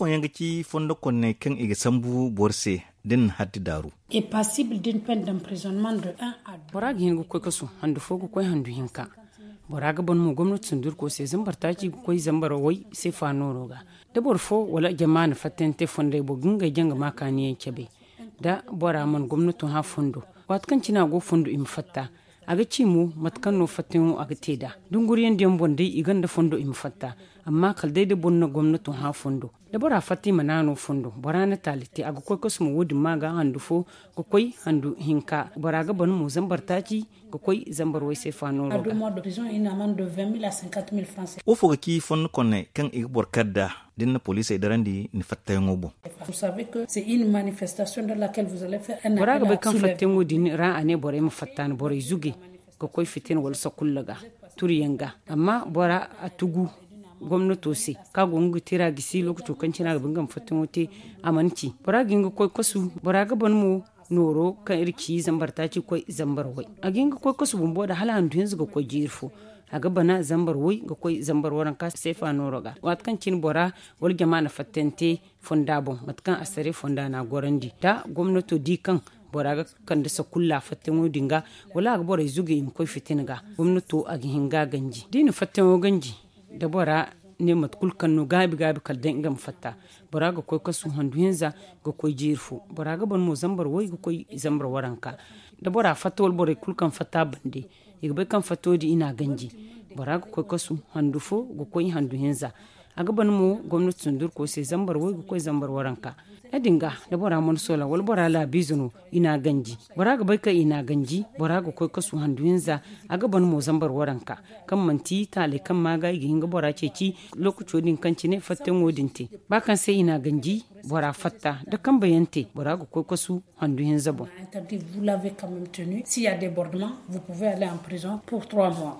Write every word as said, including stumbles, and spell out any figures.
Fondo konney kaŋ i ga sambu boro se da ni na haddi daaru. Bora ga hin ga koy kasu handu fo ga koy handu hinka. Bora ga ban mo gomnati sundurko se zambar taaci ga koy zambar way seefa nooro ga. Da boro fo wala jama na fattante fondey boŋ ga ngey jaŋ ga ma kaaniyaŋ cabe. Da bora mana gomnato hã fondo, waati kaŋ cine a go fondo i ma fatta. A ga ci mo mate kaŋ no fattayaŋo a ga te nd'a. Dunguriyaŋ diyaŋ boŋ day i gonda fondo i ma fatta. Amma kala day da boro na gomnato hã fondo, da bora fatta i ma naano fondo, bora na taali te a ga koy kasu ma wo- din ma ga handu fo ga koy handu hinka. Bora ga ban mo zambar taaci ga koy zambar way seefa nooro ga. Wo fo ga ci fondo konney kaŋ i ga boro kar nd'a da ni na poliisey darandi ni fattayaŋo boŋ? Bora ga bay kaŋ fattayaŋo din ra a ne borey ma fatta ni borey zuge ga koy fitina wala sakulla ga, turiyaŋ ga. Amma bora a tugu gomnato se kaŋ a go nga ga tira gisi lookaco kaŋ cine a ga ba nga ma fattayaŋo te. A mana ci bora ga hin ga koy kasu. Bora ga ban mo nooro kaŋ iri ci zambar taaci ga koy zambar way. A ga hin ga koy kasu bumbo nd'a hala handu hinza ga koy jiiri fo. A ga bana zambar way ga koy zambar waranka seefa nooro ga waati kaŋ cine bora wala jama na fattante fonda boŋ mate kaŋ asare fonda na a gorandi da gomnato di kaŋ bora ga kande sakulla fattayaŋo din ga, wala a ga borey zuge i ma koy fitina ga, gomnato a ga hin ga a ganji da i na fattayaŋo ganji. Da bora ne mate kulu kaŋ no gaabi gaabi kala day nga ma fatta, bora ga koy kasu handu hinza ga koy jiiri fo. Bora ga ban mo zambar way ga koy zambar waranka. Da bora fatta wala borey kulu kaŋ fatta bande, i ga bay kaŋ fattayaŋo din i na a ganji. Bora ga koy kasu handu fo ga koy handu hinza. A ga ban mo gomnati sundurko se zambar way ga koy zambar waranka. Ya- din ga da bora mana soola wala bora laabiize no, i na a ganji. Bora ga bay kaŋ i na a ganji, bora ga koy kasu handu hinza. A ga ban mo zambar waranka kaŋ manti taaley kaŋ ma ga i ga hin ga bora ceeci. Lookaco din kaŋ cine fattayaŋo din te, ba kaŋ se i na a ganji, bora fatta da kambe yaŋ te bora ga koy kasu handu hinza boŋ. Vous l'avez quand même tenu, s'il y a débordement, vous pouvez aller en prison pour trois mois.